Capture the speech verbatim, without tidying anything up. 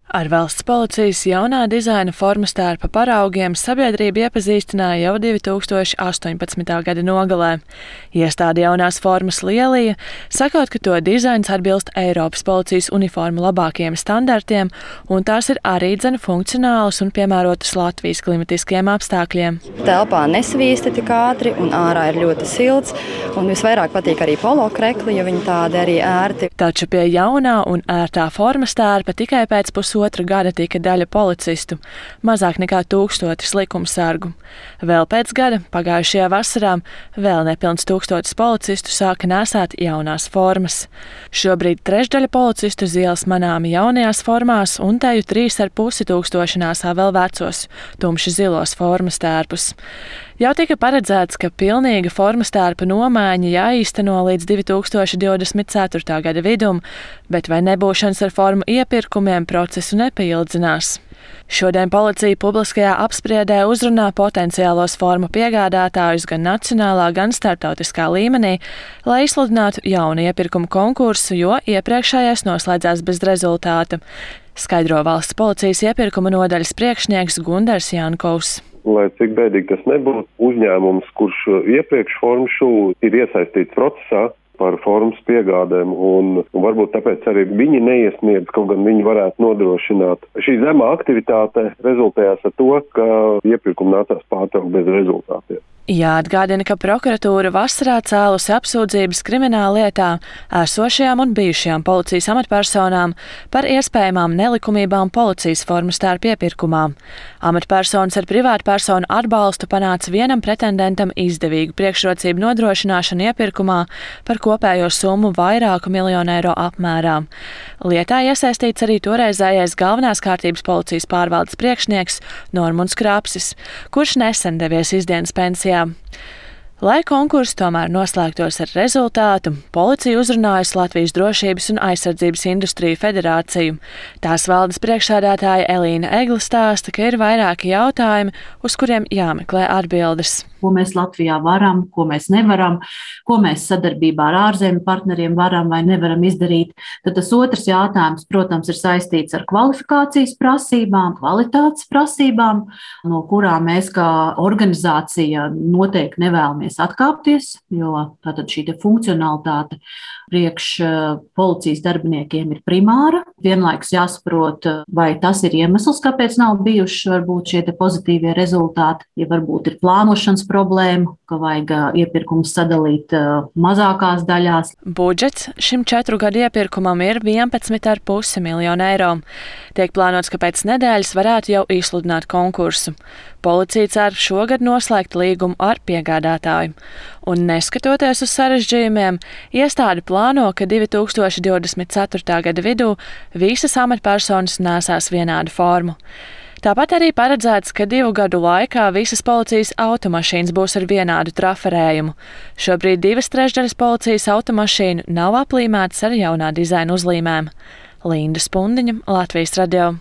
Ar valsts policijas jaunā dizaina formas tērpa paraugiem sabiedrība iepazīstināja jau divi tūkstoši astoņpadsmitā gada nogalē. Iestāde jaunās formas lielīja, sakot, ka to dizains atbilst Eiropas policijas uniformu labākajiem standartiem, un tās ir arī dzene funkcionālas un piemērotas Latvijas klimatiskiem apstākļiem. Telpā nesvīsta tik ātri, un ārā ir ļoti silts, un visvairāk patīk arī polo krekli, jo viņi tādi arī ērti. Taču pie jaunā un ērtā formas tērpa tikai pēc pusotra gada tika daļa policistu, mazāk nekā tūkstotis likumsargu. Vēl pēc gada, pagājušajā vasarā, vēl nepilns tūkstotis policistu sāka nēsāt jaunās formas. Šobrīd trešdaļa policistu uz ielas manāmi jaunajās formās un teju trīs ar pusi tūkstoši nēsā vēl vecos, tumši zilos formas tērpus. Jau tika paredzēts, ka pilnīga formas tērpa nomaiņa jāīsteno līdz divi tūkstoši divdesmit ceturtā gada vidum, bet vai nebūšanas ar formu iepirkumiem procesu nepaildzinās. Šodien policija publiskajā apspriedē uzrunā potenciālos formu piegādātājus gan nacionālā, gan starptautiskā līmenī, lai izsludinātu jaunu iepirkumu konkursu, jo iepriekšējais noslēdzās bez rezultāta, skaidro valsts policijas iepirkuma nodaļas priekšnieks Gundars Jankovs. Lai cik bēdīgi tas nebūtu, uzņēmums, kurš iepriekš formu šuvu ir iesaistīts procesā par formas piegādēm, un, un varbūt tāpēc arī viņi neiesniedz, kaut gan viņi varētu nodrošināt. Šī zemā aktivitāte rezultējās ar to, ka iepirkumu nācās pārtraukt bez rezultātiem. Jāatgādina, ka prokuratūra vasarā cēlusi apsūdzības krimināllietā esošajām un bijušajām policijas amatpersonām par iespējamām nelikumībām policijas formas tērpa iepirkumā. Amatpersonas ar privātpersonu atbalstu panāca vienam pretendentam izdevīgu priekšrocību nodrošināšanu iepirkumā par kopējo summu vairāku miljonu eiro apmērā. Lietā iesaistīts arī toreizējais galvenās kārtības policijas pārvaldes priekšnieks Normunds Krapsis, kurš nesen devies izdienas pensijā. Lai konkurss tomēr noslēgtos ar rezultātu, policija uzrunājusi Latvijas Drošības un aizsardzības industriju federāciju. Tās valdes priekšsēdētāja Elīna Egla stāsta, ka ir vairāki jautājumi, uz kuriem jāmeklē atbildes. Ko mēs Latvijā varam, ko mēs nevaram, ko mēs sadarbībā ar ārzemju partneriem varam vai nevaram izdarīt. Tad tas otrs jautājums, protams, ir saistīts ar kvalifikācijas prasībām, kvalitātes prasībām, no kurām mēs kā organizācija noteikti nevēlamies atkāpties, jo tātad šī funkcionalitāte priekš policijas darbiniekiem ir primāra. Vienlaikus jāsaprot, vai tas ir iemesls, kāpēc nav bijuši varbūt šie pozitīvie rezultāti, ja varbūt ir plānošanas problēma, ka vajag iepirkumus sadalīt mazākās daļās. Budžets šim četru gadu iepirkumam ir vienpadsmit ar pusi miljonu eiro. Tiek plānots, ka pēc nedēļas varētu jau izsludināt konkursu. Policija cer šogad noslēgt līgumu ar piegādātāju. Un neskatoties uz sarežģījumiem, iestāde plāno, ka divi tūkstoši divdesmit ceturtā gada vidū visas amatpersonas nēsās vienādu formu. Tāpat arī paredzēts, ka divu gadu laikā visas policijas automašīnas būs ar vienādu traferējumu. Šobrīd divas trešdaļas policijas automašīnu nav aplīmētas ar jaunā dizaina uzlīmēm. Linda Spundiņa, Latvijas radio.